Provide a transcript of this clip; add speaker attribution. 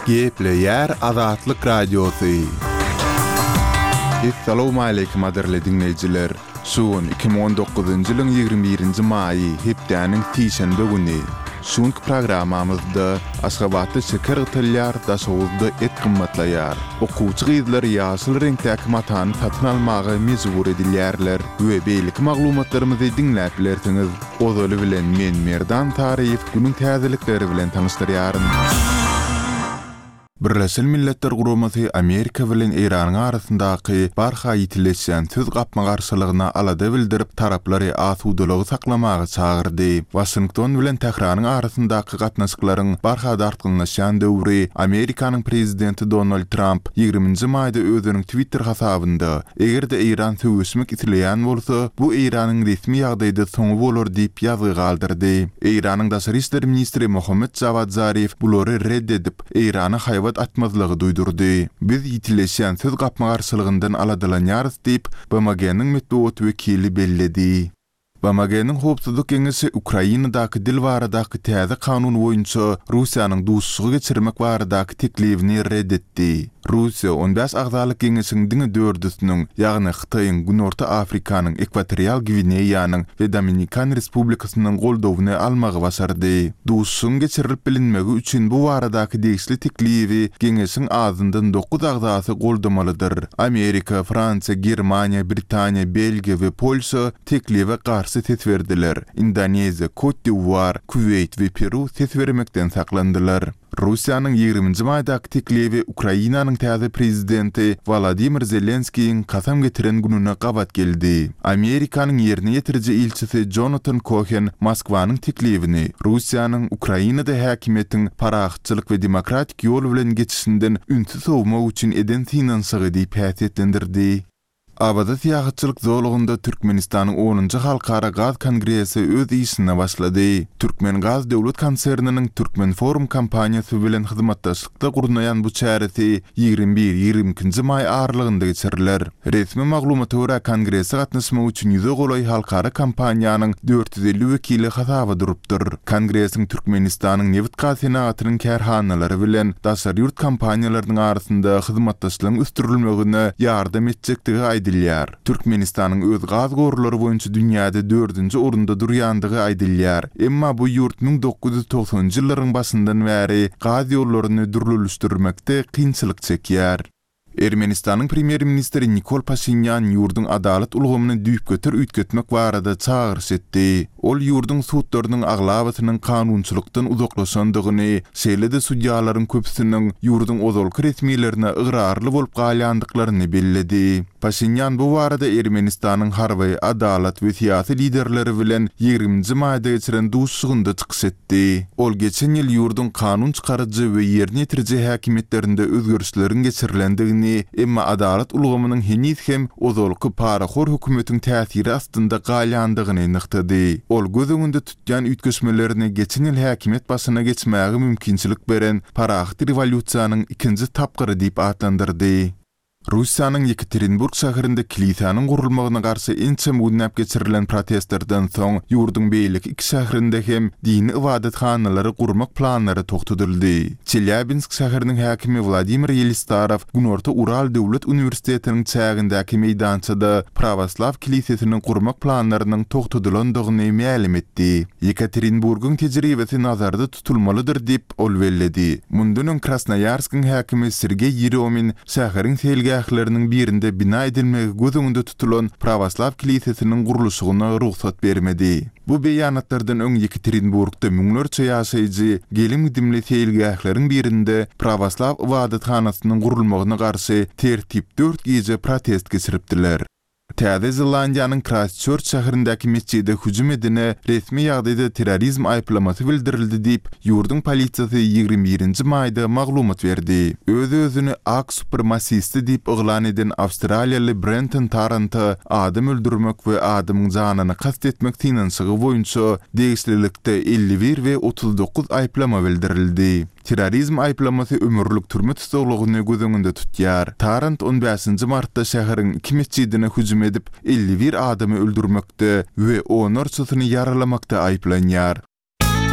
Speaker 1: Gepleýär Azatlyk Radiosy. Essalawmaleýkim gadyrly diňleýjiler! Şu gün 2019-njy ýylyň 21-nji maýy, hepdäniň sişenbe güni. Şu günki programmamyzda Aşgabatda şeker gytylýar, Daşoguzda et gymmatlaýar. Okuwçy gyzlar ýaşyl reňkdäki matany satyn almaga mejbur edilýärler we beýleki maglumatlarymyzy diňläp bilersiňiz. Ozaly bilen men Merdan Taryýew günüň täzelikleri bilen tanyşdyrýaryn. Birleşen Milletler Guramasy Amerika bilen Eýranyň arasyndaky barha ýitileşýän söz gapma-garşylygyna alada bildirip, taraplary asudalygy saklamaga çagyrdy. Waşington bilen Tähranyň arasyndaky gatnaşyklaryň barha dartgynlaşýan döwri Amerikanyň prezidenti Donald Tramp ýigriminji maýda özüniň Twitter hasabynda, Eger-de Eýran söweşmek isleýän bolsa, bu Eýranyň resmi ýagdaýda soňy bolar diýip ýazgy galdyrdy. Eýranyň daşary işler ministri Mohammed Jawad Zarif bulary red edip, Eýrana haýbat atmazlygy duýdurdy. Biz ýitileşýän söz gapma-garşylygyndan aladalanýarys diýip, BMG-niň metbugat wekili belledi. BMG-niň Howpsuzlyk Geňeşi Ukrainadaky dil baradaky täze kanun boýunça Russiýanyň duşuşygy geçirmek baradaky teklibini ret etdi. Russiýa on bäş agzalyk geňeşiň diňe dördüsiniň, ýagny Hytaýyň, Günorta Afrikanyň, Ekwatorial Gwineýanyň we Dominikan Respublikasynyň goldawyny almagy başardy. Duşuşygyň geçirilip bilinmegi üçin bu baradaky degişli teklibi geňeşiň azyndan dokuz agzasy goldamalydyr. Amerika, Fransiýa, Germaniýa, Britaniýa, Belgiýa we Polşa teklibe garşy ses berdiler. Indoneziýa, Kot-d'Iwuar, Kuweýt we Peru ses bermekden saklandylar. Russiýanyň ýigriminji maýdaky teklibi Ukrainanyň täze prezidenti Wolodymyr Zelenskiýiň kasam getiren gününe gabat geldi. Amerikanyň ýerine ýetiriji ilçisi Jonatan Kohen Moskwanyň teklibini Russiýanyň Ukrainada häkimiýetiň parahatçylyk we demokratik ýol bilen geçişinden ünsi sowmak üçin eden synanyşygy diýip häsiýetlendirdi. Awaza syýahatçylyk zolagynda Türkmenistanyň onunjy Halkara gaz kongresi öz işine başlady. Türkmengaz döwlet konserniniň Türkmenforum kompaniýasy bilen hyzmatdaşlykda gurnaýan bu çäresi 21, 22 nji maý aralygynda geçiriler. Resmi maglumata görä, kongrese gatnaşmak üçin ýüze golaý halkara kompaniýanyň 450 wekili hasaba durupdyr. Kongresiň Türkmenistanyň nebit-gaz senagatynyň kärhanalary bilen daşary ýurt kompaniýalarynyň arasynda hyzmatdaşlygyň ösdürilmegine ýardam etjekdigi aýdylýar. Türkmenistanyň öz gaz gorlary boýunça dünýäde dördünji orunda durýandygy aýdylýar. Emma bu ýurt 1990-njy ýyllaryň başyndan bäri gaz ýollaryny dürlülişdirmekde kynçylyk çekýär. Ermenistanyň premýer-ministri Nikol Paşinýan ýurduň adalat ulgamyny düýpgöter üýtgetmek barada çagyryş etdi. Ol ýurduň sudlarynyň aglabasynyň kanunçylykdan uzaklaşandygyny, şeýle-de sudýalaryň köpüsiniň ýurduň ozalky resmilerine ygrarly bolup galýandyklaryny belledi. Paşinýan bu barada Ermenistanyň harby, adalat we syýasy liderleri bilen ýigriminji maýda geçiren duşuşygynda çykyş etdi. Etdi. Ol geçen ýyl ýurduň kanun çykaryjy we ýerine ýetiriji häkimiýetlerinde özgerişleriň geçirilendigini, emma adalat ulgamynyň heniz hem ozalky parahor hökümetiň täsiri astynda galýandygyny nygtady. Ol göz öňünde tutýan üýtgeşmelerini geçen ýyl häkimiýet başyna geçmäge mümkinçilik beren parahat rewolýusiýanyň ikinji tapgyry diýip atlandyrdy. Russiýanyň Ýekaterinburg şäherinde kilisäniň gurulmagyna garşy ençeme günläp geçirilen protestlerden soň, ýurduň beýleki iki şäherinde hem dini ybadathanalary gurmak planlary togtadyldy. Çelýabinsk şäheriniň häkimi Wladimir Ýelistarow Günorta Ural döwlet uniwersitetiniň çägindäki meýdançada prawoslaw kilisesini gurmak planlarynyň togtadylandygyny mälim etdi. Ýekaterinburgyň tejribesi nazarda tutulmalydyr diýip, ol belledi. Mundan öň Krasnoýarskiň häkimi Sergeý Ýeromin şäheriň seýilgähleriniň birinde bina edilmegi göz öňünde tutulan prawoslaw kilisesiniň gurluşygyna rugsat bermedi. Bu beýanatlardan öň Ýekaterinburgda müňlerçe ýaşaýjy gelim-gidimli seýilgähleriň birinde prawoslaw ybadathanasynyň gurulmagyna garşy tertip dört gije protest geçiripdiler. Täze Zelandiýanyň Kraýstçörç şäherindäki metjide hüjüm edene resmi ýagdaýda terrorizm aýyplamasy bildirildi diýip, ýurduň polisiýasy 21 nji maýda maglumat berdi. Öz-özüni ak supremasisti diýip yglan eden awstraliýaly Brenton Tarranta adam öldürmek we adamyň janyna kast etmek synanyşygy boýunça degişlilikde 51 we 39 aýyplama bildirildi. Terrorizm aýyplamasy ömürlik türme tussaglygyny göz öňünde tutýar. Tarrant on bäşinji martda şäheriň iki metjidine hüjüm edip, 51 adamy öldürmekde we onlarçasyny ýaralamakda aýyplanýar.